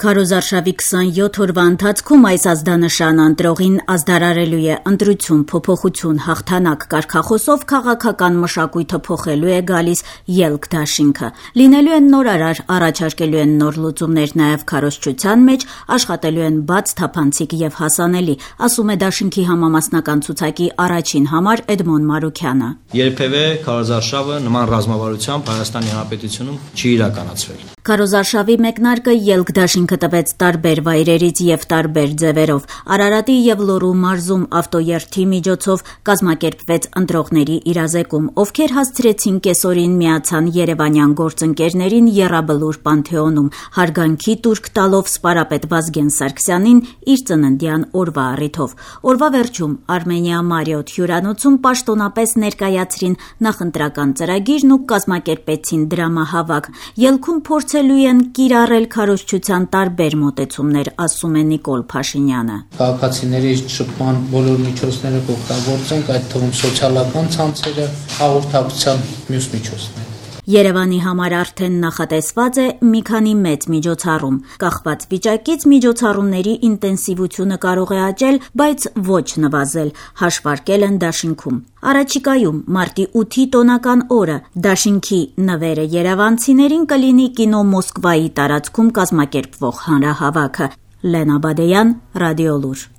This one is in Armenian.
Քարոզարշավի 27 օրվա ընթացքում այս ազդանշան ընտրողին ազդարարելու է ընտրություն, փոփոխություն, հաղթանակ կարգախոսով քաղաքական մշակույթը փոխելու է գալիս ելք դաշինքը։ Լինելու են նորարար, առաջարկելու են նոր լուծումներ նաև քարոզչության մեջ, աշխատելու են բաց, թափանցիկ եւ հասանելի, ասում է դաշինքի համամասնական ցուցակի առաջին համար Էդմոն Մարուքյանը։ Երբևէ քարոզարշավը նման ռազմավարությամբ Հայաստանի Հանրապետությունում չի իրականացվել։ Քարոզարշավի մեկնարկը ելք դաշինքը տվեց տարբեր վայրերից եւ տարբեր ձևերով։ Արարատի եւ Լոռու մարզում ավտոերթի միջոցով կազմակերպվեց ընտրողների իրազեկում, ովքեր հասցրեցին կեսօրին միացան երևանյան գործընկերներին Եռաբլուր Պանթեոնում, հարգանքի տուրք տալով սպարապետ Վազգեն Սարգսյանին իր ծննդյան օրվա առիթով։ Օրվա վերջում Արմենիա Մարիոթ հյուրանոցում պաշտոնապես ներկայացրին նախընտրական ծրագիրն ու կազմակերպեցին դրամահավաք։ Ելքում փորձելու են կիրառել քարոզչության տարբեր մոտեցումներ, ասում է Նիկոլ Փաշինյանը։ Քաղաքացիների շփման բոլոր միջոցները կօգտագործենք, այդ թվում սոցիալական ցանցերը, հաղորդակցության մյուս միջոցները։ Երևանի համար արդեն նախատեսված է մի քանի մեծ միջոցառում։ Կախված վիճակից միջոցառումների ինտենսիվությունը կարող է աճել, բայց ոչ նվազել, հաշվարկել են դաշինքում։ Առաջիկայում մարտի 8-ի տոնական օրը դաշինքի նվերը երևանցիներին կլինի կինո Մոսկվայի տարածքում կազմակերպվող հանրահավաքը։ Լենա Բադեյան, Ռադիոլուր։